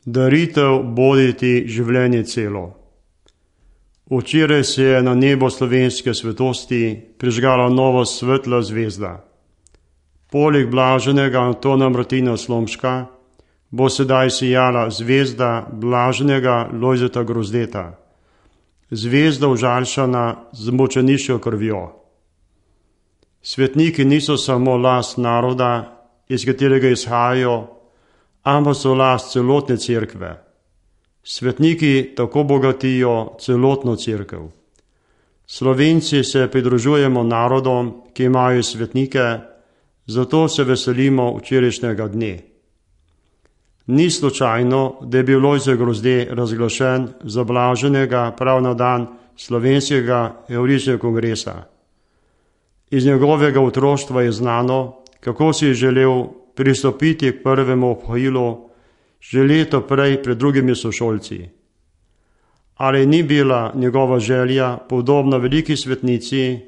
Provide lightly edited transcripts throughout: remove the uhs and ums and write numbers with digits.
Daritev boditi življenje celo. Včeraj se je na nebo slovenske svetosti prižgala nova svetla zvezda. Poleg blaženega Antona Martina Slomška bo sedaj sijala zvezda blaženega Lojzeta Grozdeta, zvezda užaljšana z mučeniško krvjo. Svetniki niso samo last naroda, iz katerega izhajajo, ampak so last celotne cerkve. Svetniki tako bogatijo celotno cerkev. Slovenci se pridružujemo narodom, ki imajo svetnike, zato se veselimo včerajšnjega dne. Ni slučajno, da je bil Lojze Grozde razglašen za blaženega prav na dan slovenskega evharističnega kongresa. Iz njegovega otroštva je znano, kako si je želel pristopiti k prvemu obhajilu že leto prej pred drugimi sošolci. Ali ni bila njegova želja podobna veliki svetnici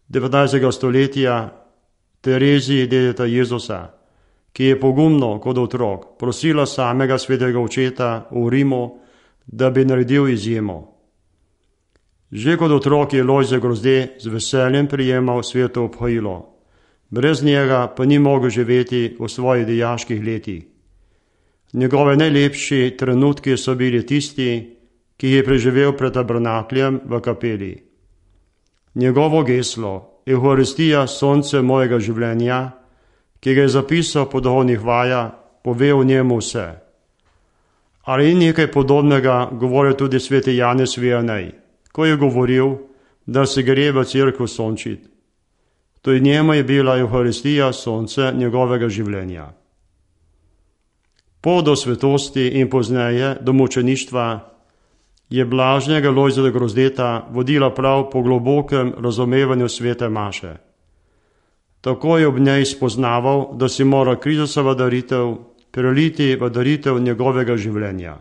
19. stoletja Tereziji dedeta Jezusa, ki je pogumno kot otrok prosila samega svetega očeta v Rimu, da bi naredil izjemo. Že kot otrok je Lojze Grozde z veseljem prijemal sveto obhajilo, brez njega pa ni mogel živeti v svojih dijaških letih. Njegove najlepši trenutki so bili tisti, ki je preživel pred tabernakljem v kapeli. Njegovo geslo, Evharistija, sonce mojega življenja, ki ga je zapisal po duhovnih vajah, pove o njemu vse. Ali ni nekaj podobnega govoril tudi sveti Janez Vianney, ko je govoril, da se gre v cerkev sončit. To in njemu je bila Evharistija, sonce njegovega življenja. Pot do svetosti in pozneje do mučeništva je blaženega Lojzeta Grozdeta vodila prav po globokem razumevanju svete maše. Tako je ob njej spoznaval, da si mora Kristusova daritev preliti v daritev njegovega življenja.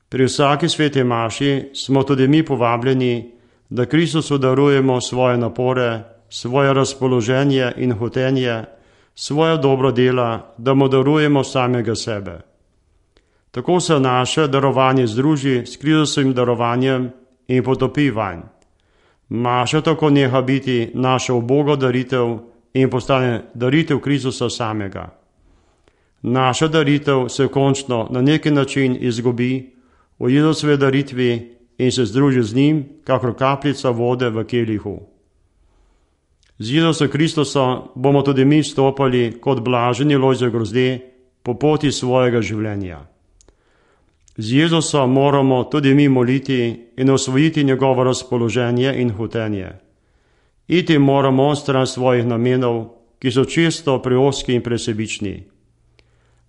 Pri vsaki sveti maši smo tudi mi povabljeni, da Kristusu darujemo svoje napore, svoje razpoloženje in hotenje, svoje dobro dela, da mu darujemo samega sebe. Tako se naše darovanje združi s Kristusovim darovanjem in potopi vanj. Maša tako neha biti naša uboga daritev in postane daritev Kristusa samega. Naša daritev se končno na neki način izgubi v Jezusovi daritvi in se združi z njim, kakor kapljica vode v kelihu. Z Jezusom Kristusom bomo tudi mi stopali kot blaženi Lojze Grozde po poti svojega življenja. Z Jezusom moramo tudi mi moliti in osvojiti njegovo razpoloženje in hotenje. Iti moramo onstran svojih namenov, ki so čisto preozki in presebični.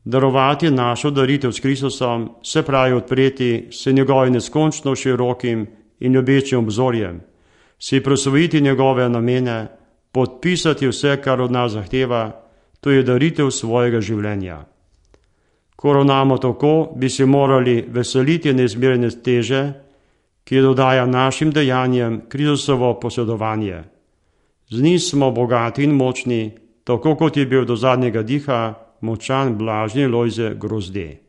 Darovati našo daritev s Kristusom se pravi odpreti se njegovim neskončno širokim in ljubečim obzorjem, si prosvojiti njegove namene, podpisati vse, kar od nas zahteva, to je daritev svojega življenja. Ko ravnamo tako, bi se morali veseliti neizmerne teže, ki dodaja našim dejanjem Kristusovo posedovanje. Z njim smo bogati in močni, tako kot je bil do zadnjega diha močan blaženi Lojze Grozde.